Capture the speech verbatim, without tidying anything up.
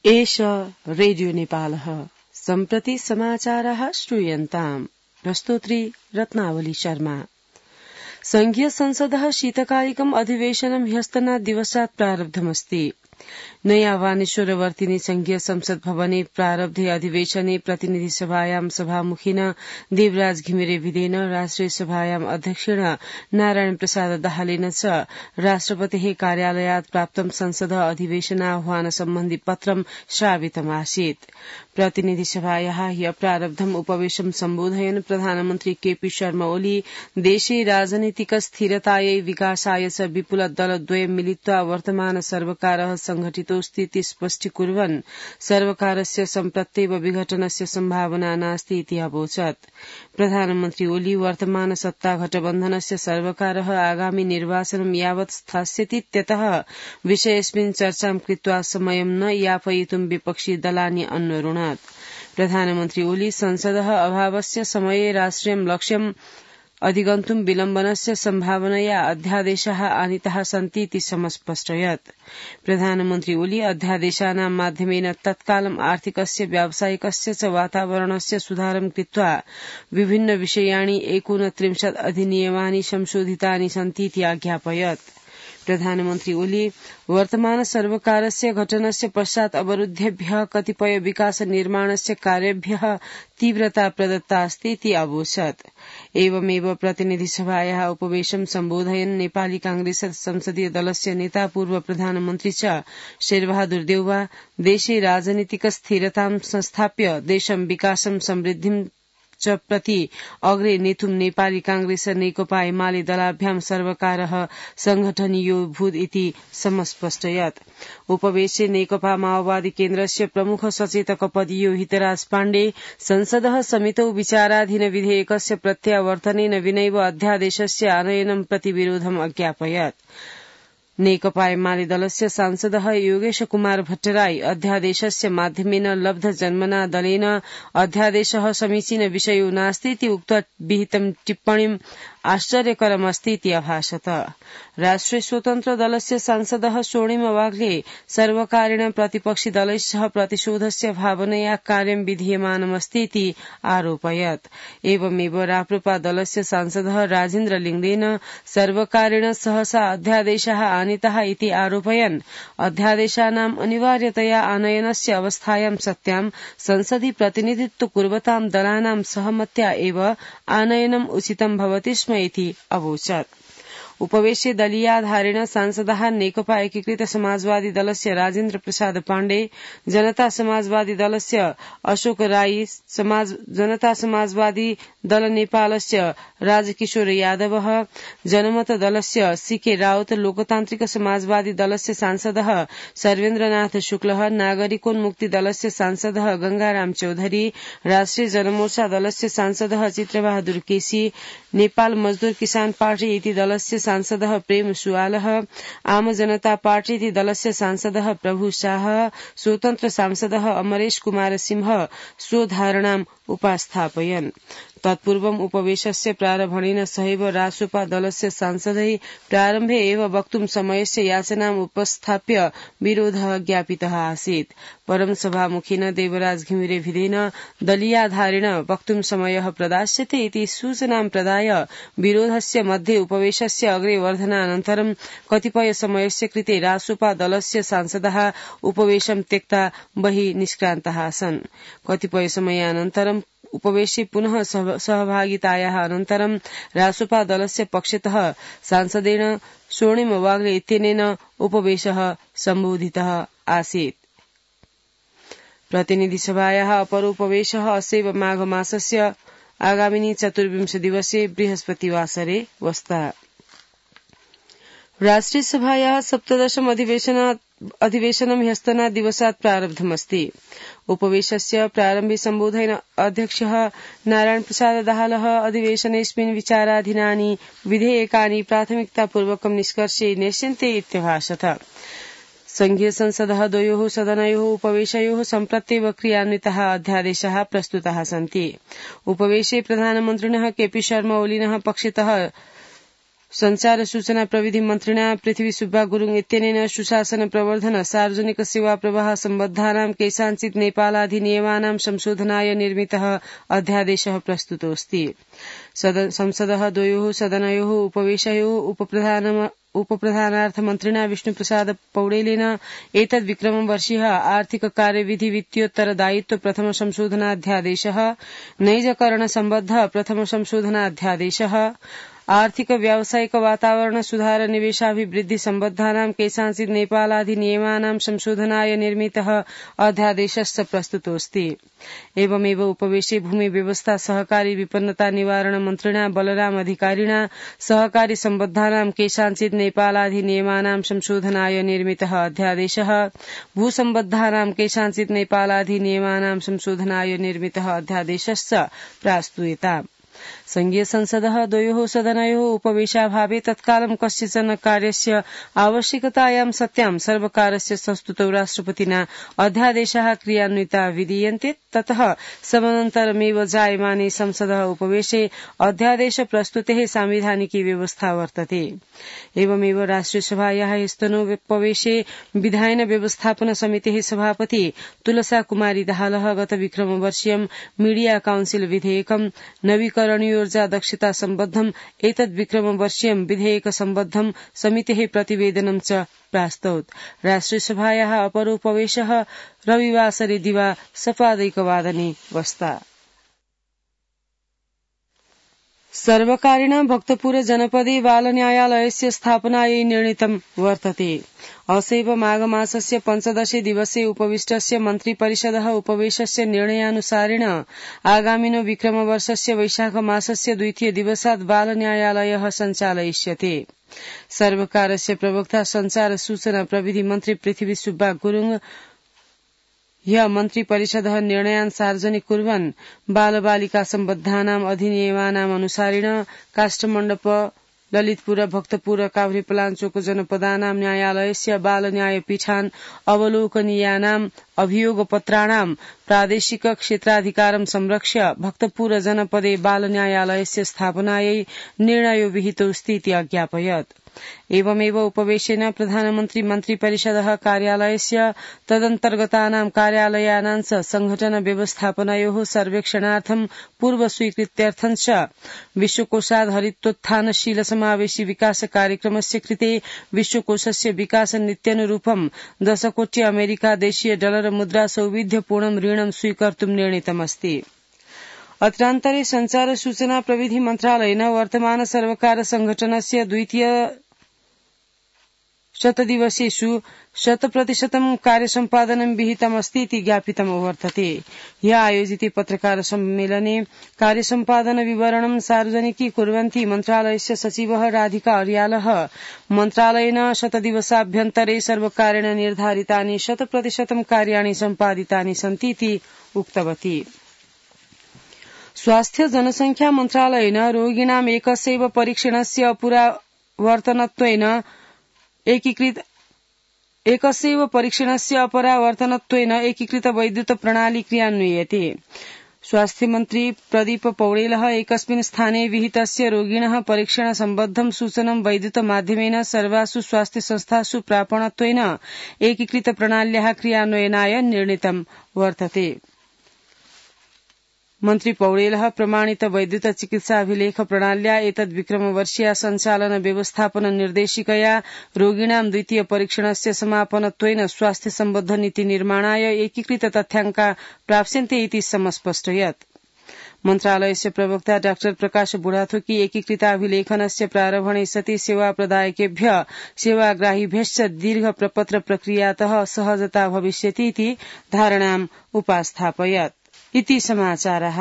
एष रेडियो नेपालः सम्प्रति समाचाराः श्रूयन्ताम्। प्रस्तोत्री रत्नावली शर्मा। संघीय संसदः शीतकालिकम् अधिवेशनं ह्यस्तनात् दिवसात् प्रारब्धमस्ति। नयाँ वानेश्वरवर्तिनि संघीय संसद भवने प्रारब्धे अधिवेशने प्रतिनिधि सभायां सभामुखिन देवराज घिमिरे विधेन राष्ट्रिय सभायां अध्यक्षेण नारायण प्रसाद दाहालेन च राष्ट्रपतेः कार्यालयात् प्राप्तं संसदः अधिवेशनाह्वान सम्बन्धि पत्रं श्रावितमासीत्। प्रतिनिधि सभायाः ह्य प्रारब्धम् उपवेशं सम्बोधयन् प्रधानमन्त्री केपी शर्मा ओली देशे राजनीतिक स्थिरतायै विकासाय च विपुल दलद्वयं मिलित्वा वर्तमान सर्वकारः संघटितोऽस्तीति स्पष्टीकुर्वन् सर्वकारस्य सम्प्रत्येव विघटनस्य सम्भावना नास्ति इति अवोचत्। प्रधानमन्त्री ओली वर्तमान सत्ता गठबन्धनस्य सर्वकारः आगामि निर्वाचनं यावत् स्थास्यतीत्यतः विषयेऽस्मिन् चर्चां कृत्वा समयं न यापयितुं विपक्षी दलानि अन्वरुणत्। प्रधानमन्त्री ओली संसदः अभावस्य समये राष्ट्रियं लक्ष्यम् अधिगन्तुं विलम्बनस्य सम्भावनया अध्यादेशाः आनीताः सन्तीति समस्पष्टयत्। प्रधानमन्त्री ओली अध्यादेशानां माध्यमेन तत्कालम् आर्थिकस्य व्यावसायिकस्य च वातावरणस्य सुधारं कृत्वा विभिन्न विषयाणि एकोनत्रिंशत् अधिनियमानि संशोधितानि सन्तीति आज्ञापयत्। प्रधानमन्त्री ओली वर्तमान सर्वकारस्य गठनस्य पश्चात् अवरुद्धेभ्यः कतिपय विकास निर्माणस्य कार्येभ्यः तीव्रता प्रदत्ता अस्ति इति अवोचत्। एवमेव प्रतिनिधि सभायाः उपवेशं सम्बोधयन् नेपाली कांग्रेस संसदीय दलस्य नेता पूर्व प्रधानमन्त्री च शेरबहादुर देउवा देशे राजनीतिक स्थिरतां संस्थाप्य देशं विकासं समृद्धिं च प्रति अग्रे नेतुं नेपाली कांग्रेस नेकपा एमाले दलाभ्यां सर्वकारः संघटनीयो भूत् इति समस्पष्टयत्। उपवेशे नेकपा माओवादी केन्द्रस्य प्रमुख सचेतक पदीयो हितराज पाण्डे संसदः समितौ विचाराधीन विधेयकस्य प्रत्यावर्तनेन विनैव अध्यादेशस्य आनयनं प्रति विरोधम् अज्ञापयत्। नेकपा एमाले दलस्य सांसदः योगेश कुमार भट्टराई अध्यादेशस्य माध्यमेन लब्ध जन्मना दलेन अध्यादेशः समीचीन विषयो नास्तीति उक्त विहितं टिप्पणीम् आश्चर्यकरमस्तीति अभाषत। राष्ट्रिय स्वतन्त्र दलस्य सांसदः स्वर्णिम वाग्ले सर्वकारेण प्रतिपक्षी दलैः प्रतिशोधस्य भावनया कार्यं विधीयमानमस्तीति आरोपयत्। एवमेव राप्रपा दलस्य सांसदः राजेन्द्र लिङ्गदेन सर्वकारेण सहसा अध्यादेशाः आनीताः इति आरोपयन् अध्यादेशानाम् अनिवार्यतया आनयनस्य अवस्थायां सत्यां संसदि प्रतिनिधित्व कुर्वतां दलानां सहमत्या एव आनयनम् उचितं भवति स्म इति अवोचत्। उपवेशे दलीयाधारेण सांसदः नेकपा एकीकृत समाजवादी दलस्य राजेन्द्र प्रसाद पाण्डे, जनता समाजवादी दलस्य अशोक राई, समाज जनता समाजवादी दल नेपालस्य राजकिशोर यादव, जनमत दलस्य सीके राउत, लोकतान्त्रिक समाजवादी दलस्य सांसदः सर्वेन्द्रनाथ शुक्ल, नागरिकोन्मुक्ति दलस्य सांसदः गंगाराम चौधरी, राष्ट्रिय जनमोर्चा दलस्य सांसदः चित्रबहादुर केसी, नेपाल मजदूर किसान पार्टी इति दलस्य सांसदः प्रेम सुवालः, आम जनता पार्टी इति दलस्य सांसदः प्रभु शाह, स्वतन्त्र सांसदः अमरेश कुमार सिंह स्वधारणाम् उपास्थापयन्। तत्पूर्वम् उपवेशस्य प्रारम्भणेन सहैव रासोपा दलस्य सांसदै प्रारम्भे एव वक्तुं समयस्य याचनाम् उपस्थाप्य विरोधः ज्ञापितः आसीत्। परं सभामुखिन देवराज घिमिरे विधेन दलीयाधारेण वक्तुं समयः प्रदास्यते इति सूचनां प्रदाय विरोधस्य मध्ये उपवेशस्य अग्रे वर्धनानन्तरं कतिपय समयस्य कृते रासोपा दलस्य सांसदः उपवेशं त्यक्ता बहिः निष्क्रान्ताः सन्। कतिपय समयानन्तरं उपवेशे पुनः सहभागितायाः अनन्तरं रासोपा दलस्य पक्षतः सांसदेन स्वर्णिम वाग्ले इत्यनेन उपवेशः सम्बोधितः आसीत्। प्रतिनिधि सभायाः अपर उपवेशः असैव माघ मासस्य आगामिनी चतुर्विंश दिवसे बृहस्पतिवासरे वस्ता। राष्ट्रिय सभायाः सप्तदशम अधिवेशनं ह्यस्तनात् दिवसात् प्रारब्धमस्ति। उपवेशस्य प्रारम्भे सम्बोधयन् अध्यक्षः नारायण प्रसाद दाहालः अधिवेशनेऽस्मिन् विचाराधीनानि विधेयकानि प्राथमिकतापूर्वकं निष्कर्षे नेष्यन्ते इत्यभाषत। संघीय संसदः द्वयोः सदनयोः उपवेशयोः सम्प्रत्येव क्रियान्विताः अध्यादेशाः प्रस्तुताः सन्ति। उपवेशे प्रधानमन्त्रिणः केपी शर्मा ओलिनः पक्षतः संचार सूचना प्रविधि मन्त्रिणा पृथ्वी सुब्बा गुरुङ इत्यनेन सुशासन प्रवर्धन सार्वजनिक सेवा प्रवाह सम्बद्धानां केषाञ्चित् नेपालाधिनियमानां संशोधनाय निर्मितः अध्यादेशः प्रस्तुतोऽस्ति। संसदः द्वयोः सदनयोः उपवेशयोः उपप्रधान उपप्रधानार्थमन्त्रिणा विष्णुप्रसाद पौडेलेन एतद् विक्रमवर्षीयः आर्थिक कार्यविधि वित्तीयोत्तरदायित्व प्रथम संशोधनाध्यादेशः नैजकरण सम्बद्ध प्रथम संशोधनाध्यादेशः आर्थिक व्यावसायिक वातावरण सुधार निवेशाभिवृद्धि सम्बद्धानां केषाञ्चित् नेपालाधिनियमानां संशोधनाय निर्मितः अध्यादेशश्च प्रस्तुतोऽस्ति। एवमेव उपवेशे भूमि व्यवस्था सहकारी विपन्नता निवारण मन्त्रिणा बलराम अधिकारिणा सहकारी सम्बद्धानां केषाञ्चित् नेपालाधिनियमानां संशोधनाय निर्मितः अध्यादेशः भूसम्बद्धानां केषाञ्चित् नेपालाधिनियमानां संशोधनाय निर्मितः अध्यादेशश्च प्रास्तूयताम्। संघीय संसदः द्वयोः सदनयोः उपवेशाभावे तत्कालं कस्यचन कार्यस्य आवश्यकतायां सत्यां सर्वकारस्य संस्तुतौ राष्ट्रपतिना अध्यादेशाः क्रियान्विता विधीयन्ते। ततः समनन्तरमेव जायमाने संसदः उपवेशे अध्यादेश प्रस्तुतेः सांविधानिकी व्यवस्था वर्तते। एवमेव राष्ट्रियसभायाः स्तनोपवेशे विधायन व्यवस्थापन समितेः सभापति तुलसा कुमारी दाहालः गत विक्रमवर्षीयं मीडिया काउन्सिल विधेयकं नवीकरणीयोर्जा दक्षता सम्बद्धम् एतद् विक्रमवर्षीयं विधेयक सम्बद्धं समितेः प्रतिवेदनं च प्रास्तौत्। राष्ट्रियसभायाः अपरोपवेशः रविवासरे दिवा सपादैकवादने वस्ता। सर्वकारेण भक्तपुर जनपदे बालन्यायालयस्य स्थापनायै निर्णीतं वर्तते। असैव माघमासस्य पञ्चदशे दिवसे उपविष्टस्य मन्त्रिपरिषदः उपवेशस्य निर्णयानुसारेण आगामिनो विक्रमवर्षस्य वैशाखमासस्य द्वितीय दिवसात् बालन्यायालयः सञ्चालयिष्यते। सर्वकारस्य प्रवक्ता संचार सूचना प्रविधि मन्त्री पृथ्वी सुब्बा गुरुङ ह्य मन्त्रिपरिषदः निर्णयान् सार्वजनिक कुर्वन् बालबालिका सम्बद्धानाम् अधिनियमानाम् अनुसारेण काष्ठमण्डप ललितपुर भक्तपुर काभ्रेपलाञ्चोक जनपदानां न्यायालयस्य बालन्यायपीठान् अवलोकनीयानाम् अभियोगपत्राणां प्रादेशिक क्षेत्राधिकारं संरक्ष्य भक्तपुर जनपदे बालन्यायालयस्य स्थापनायै निर्णयो विहितोऽस्ति इति अज्ञापयत्। एवमेव उपवेशेन प्रधानमन्त्री मन्त्रिपरिषदः कार्यालयस्य तदन्तर्गतानां कार्यालयानां च संघटन व्यवस्थापनयोः सर्वेक्षणार्थं पूर्व स्वीकृत्यर्थं च विश्वकोषात् हरितोत्थानशील समावेशी विकास कार्यक्रमस्य कृते विश्वकोषस्य विकास नीत्यनुरूपं दशकोटि अमेरिका देशीय डलर मुद्रा सौविध्यपूर्णं ऋणं स्वीकर्तुं निर्णीतमस्ति। अत्रान्तरे संचार सूचना प्रविधि मन्त्रालयेन वर्तमान सर्वकार संघटनस्य द्वितीय शतदिवसेषु शतप्रतिशतं कार्यसम्पादनं विहितमस्ति इति ज्ञापितं वर्तते। ह्यः आयोजिते पत्रकार सम्मेलने कार्यसम्पादन विवरणं सार्वजनिकीकुर्वन्ती मन्त्रालयस्य सचिवः राधिका अर्यालः मन्त्रालयेन शतदिवसाभ्यन्तरे सर्वकारेण निर्धारितानि शतप्रतिशतं कार्याणि सम्पादितानि सन्ति इति उक्तवती। स्वास्थ्य जनसंख्या मन्त्रालयेन रोगिणाम् एकस्यैव परीक्षणस्य अपरावर्तनत्वेन एकीकृत एकस्यैव परीक्षणस्य अपरावर्तनत्वेन एकीकृत वैद्युत प्रणाली क्रियान्वियते। स्वास्थ्यमन्त्री प्रदीप पौडेलः एकस्मिन् स्थाने विहितस्य रोगिणः परीक्षण सम्बद्धं सूचनं वैद्युत माध्यमेन सर्वासु स्वास्थ्य संस्थासु प्रापणत्वेन एकीकृत प्रणाल्याः क्रियान्वयनाय निर्णीतं वर्तते। मन्त्री पौडेलः प्रमाणित वैद्युत चिकित्साभिलेख प्रणाल्या एतद् विक्रमवर्षीया सञ्चालन व्यवस्थापन निर्देशिकया रोगिणां द्वितीय परीक्षणस्य समापनत्वेन स्वास्थ्य सम्बद्ध नीति निर्माणाय एकीकृत तथ्याङ्का प्राप्स्यन्ते इति समस्पष्टयत्। मन्त्रालयस्य प्रवक्ता डाक्टर प्रकाश बुढाथोकी एकीकृताभिलेखनस्य प्रारम्भणे सति सेवा प्रदायकेभ्य सेवाग्राहिभ्यश्च दीर्घ प्रपत्र प्रक्रियातः सहजता भविष्यति इति धारणाम् उपास्थापयत्। इति समाचारः।